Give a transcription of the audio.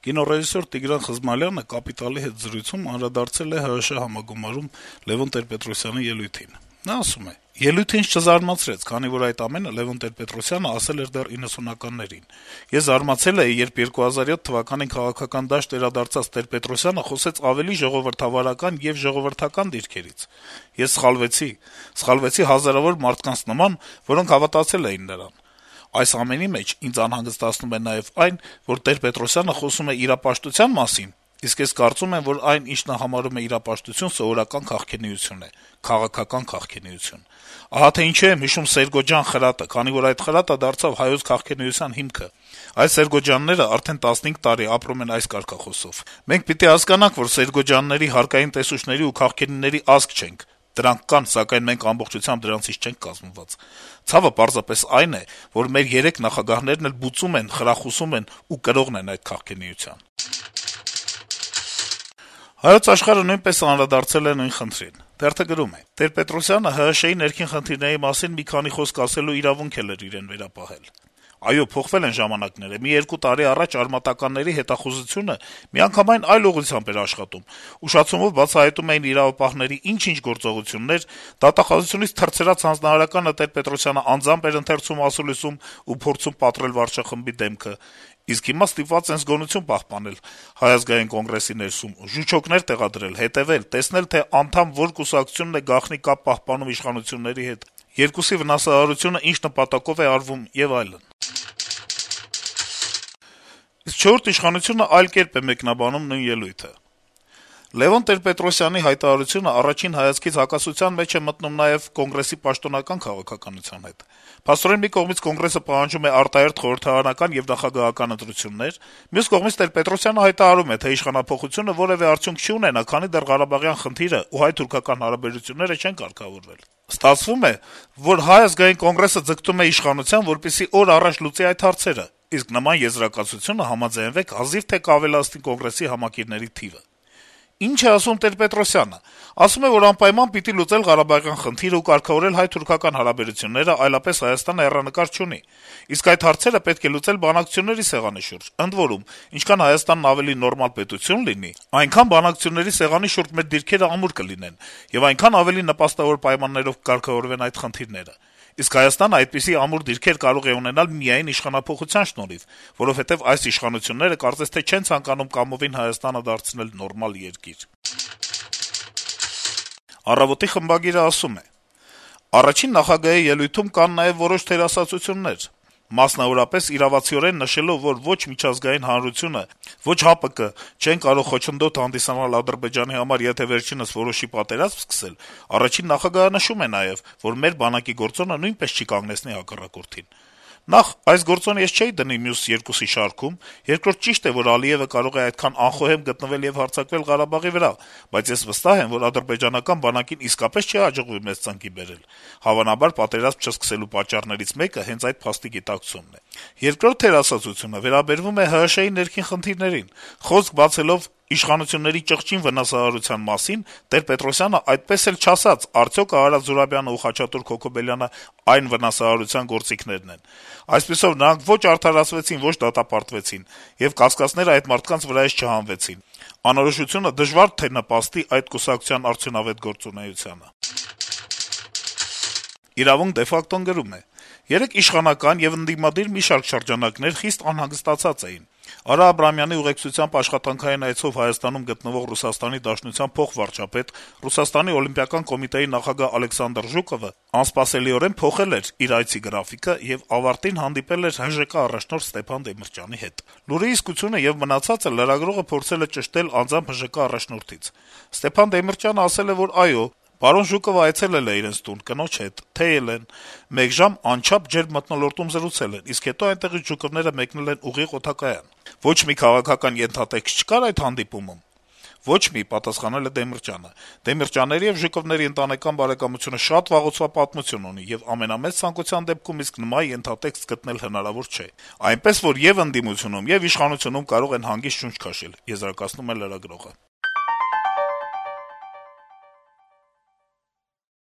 Կինոռեժիսոր Տիգրան Խզմալյանը «Կապիտալ»-ի հետ զրույցում անդրադարձել է ՀՀՇ համագումարում Լեւոն Տեր-Պետրոսյանի ելույթին: Նա ասում է. - «Ելույթը ինձ չզարմացրեց, քանի որ այդ ամենը Լեւոն Տեր-Պետրոսյանը ասել էր դեռ 90-ականներին: Ես զարմացել էի, երբ 2007 թվականին քաղաքական դաշտ վերադարձած Տեր-Պետրոսյանը խոսեց ավելի ժողովրդավարական եւ ժողովրդական դիրքերից: Ես սխալվեցի հազարավոր մարդկանց նման, որոնք հավատացել էին նրան: Այս ամենի մեջ ինձ անհանգստացնում է նաեւ այն, որ Տեր-Պետրոսյանը խոսում է իրապաշտության մասին, իսկ ես կարծում եմ, որ այն, ինչ նա համարում է իրապաշտություն, սովորական քաղքենիություն է, քաղաքական քաղքենիություն: Ահա թե ինչու եմ հիշում Սերգոջան խրատը, քանի որ այդ խրատը դարձավ հայոց քաղքենիության հիմքը: Այս Սերգոջյանները արդեն 15 տարի ապրում են այս կարգախոսով: Մենք պիտի հասկանանք, որ Սերգոջյանների, հարկային տեսուչների ու քաղքենիների ազգ չենք: Դրանք կան, սակայն մենք ամբողջությամբ դրանցից չենք կազմված: Ցավը պարզապես այն է, որ մեր 3 նախագահներն էլ բուծում են, խրախուսում ու կրողն են այդ քաղքենիության»: «Հայոց Աշխարհ»-ը նույնպես անդրադարձել է նույն խնդրին: Թերթը գրում է. - «Տեր-Պետրոսյանը ՀՀՇ-ի ներքին խնդիրների մասին մի քանի խոսք ասելու իրավունք էլ էր իրեն վերապահել: Այո, փոխվել են ժամանակները: Մի 2 տարի առաջ արմատականների հետախուզությունը միանգամայն այլ ուղղությամբ էր աշխատում: Ուշացումով բացահայտում էին իրավապահների ինչ-ինչ գործողություններ, դատախազությունից թռցրած հանձնարարականը Տեր-Պետրոսյանը անձամբ էր ընթերցում ասուլիսում ու փորձում պատռել վարչախմբի դեմքը: Իսկ հիմա ստիպված են զգոնություն պահպանել Հայ ազգային կոնգրեսի ներսում, ժուչոկներ տեղադրել, հետեւել, տեսնել, թե անդամ որ կուսակցությունն է գաղտնի կապ պահպանում իշխանությունների հետ, երկուսի վնասահարությունը ինչ նպատակով է արվում եւ այլն»: Իսկ «Չորրորդ ինքնիշխանություն»-ը այլ կերպ է մեկնաբանում նույն ելույթը. - «Լեւոն Տեր-Պետրոսյանի հայտարարությունը առաջին հայացքից հակասության մեջ է մտնում նաեւ Կոնգրեսի պաշտոնական քաղաքականության հետ: Փաստորեն, մի կողմից Կոնգրեսը պահանջում է արտահերթ խորհրդարանական եւ նախագահական ընտրություններ, մյուս կողմից Տեր-Պետրոսյանը հայտարարում է, թե իշխանափոխությունը որեւէ արդյունք չի ունենա, քանի դեռ Ղարաբաղյան խնդիրը ու հայ-թուրքական հարաբերությունները չեն կարգավորվել: Ստացվում է, որ Հայ ազգային կոնգրեսը ձգտում է իշխանության, որպեսզի օր առաջ լուծի այդ հարցերը, իսկ նման եզրակացությունը, համաձայնվեք, հազիվ թե կավելացնի Կոնգրեսի համակիրների թիվը: Ինչ է ասում Տեր-Պետրոսյանը: Ասում է, որ անպայման պիտի լուծել Ղարաբաղյան խնդիրը ու կարգավորել հայ-թուրքական հարաբերությունները, այլապես Հայաստանը հեռանկար չունի: Իսկ այդ հարցերը պետք է լուծել բանակցությունների սեղանի շուրջ: Ընդ որում, ինչքան Հայաստանն ավելի նորմալ պետություն լինի, այնքան բանակցությունների սեղանի շուրջ մեր դիրքերը ամուր կլինեն, եւ այնքան ավելի նպաստավոր պայմաններով կկարգավորվեն այդ խնդիրները: Իսկ Հայաստանը այդպիսի ամուր դիրքեր կարող է ունենալ միայն իշխանափոխության շնորհիվ, որովհետեւ այս իշխանությունները կարծես թե չեն ցանկանում կամովին Հայաստանը դարձնել նորմալ երկիր»: «Առավոտ»-ի խմբագիրը ասում է. - «Առաջին նախագահի ելույթում կան նաեւ որոշ թերասացություններ: Մասնավորապես, իրավացիորեն նշելով, որ ոչ միջազգային հանրությունը, ոչ ՀԱՊԿ չեն կարող խոչընդոտ հանդիսանալ Ադրբեջանի համար, եթե վերջինս որոշի պատերազմ սկսել, առաջին նախագահը նշում է նաեւ, որ մեր բանակի գործոնը նույնպես չի կանգնեցնի հակառակորդին: Նախ, այս գործոնը ես չէի դնի մյուս երկուսի շարքում, երկրորդ, ճիշտ է, որ Ալիեւը կարող է այդքան անխոհեմ գտնվել եւ հարձակվել Ղարաբաղի վրա, բայց ես վստահ եմ, որ ադրբեջանական բանակին իսկապես չի հաջողվի մեզ ծնկի բերել: Հավանաբար, պատերազմ չսկսելու պատճառներից մեկը հենց այդ փաստի գիտակցումն է: Երկրորդ թերասացությունը վերաբերում է ՀՀՇ-ի ներքին խնդիրներին: Խոսք բացելով իշխանությունների ճղճին վնասահարության մասին, Տեր-Պետրոսյանը այդպես էլ չասաց` արդյո՞ք Արարատ Զուրաբյանն ու Խաչատուր Քոքոբելյանը այն վնասահարության գործիքներն են: Այսպիսով, նրանք ոչ արդարացվեցին, ոչ դատապարտվեցին, եւ կասկածները այդ մարդկանց վրայից չհանվեցին: Անորոշությունը դժվար թե նպաստի այդ կուսակցության արդյունավետ գործունեությանը»: «Իրավունք» de facto-ն գրում է. - «Երեկ իշխանական եւ ընդդիմադիր մի շարք շրջանակներ խիստ անհանգստացած էին: Արա Աբրահամյանի ուղեկցությամբ աշխատանքային այցով Հայաստանում գտնվող Ռուսաստանի Դաշնության փոխվարչապետ, Ռուսաստանի օլիմպիական կոմիտեի նախագահ Ալեքսանդր Ժուկովը անսպասելիորեն փոխել էր իր այցի գրաֆիկը եւ ավարտին հանդիպել էր ՀԺԿ առաջնորդ Ստեփան Դեմիրճյանի հետ: Լուրի իսկությունը եւ մնացածը լրագրողը փորձել է ճշտել անձամբ ՀԺԿ առաջնորդից: Ստեփան Դեմիրճյանը ասել է, որ այո, պարոն Ժուկովը այցելել է իրենց տուն կնոջ հետ, թեյել են, մեկ ժամ անչափ ջերմ մթնոլորտում զրուցել են, իսկ հետո այնտեղից Ժուկովները մեկնել են ուղիղ օդակայան»: «Ոչ մի քաղաքական ենթատեքստ չկա՞ր այդ հանդիպումում»: «Ոչ մի», - պատասխանել է Դեմիրճյանը: Դեմիրճյանների եւ Ժուկովների ընտանեկան բարեկամությունը շատ վաղուց պատմություն ունի, եւ ամենամեծ ցանկության դեպքում իսկ նման ենթատեքստ գտնել հնարավոր չէ: Այնպես որ, եւ ընդդիմությունում, եւ իշխանությունում կարող են հանգիստ շունչ քաշել», - եզրակացնում է լրագրողը: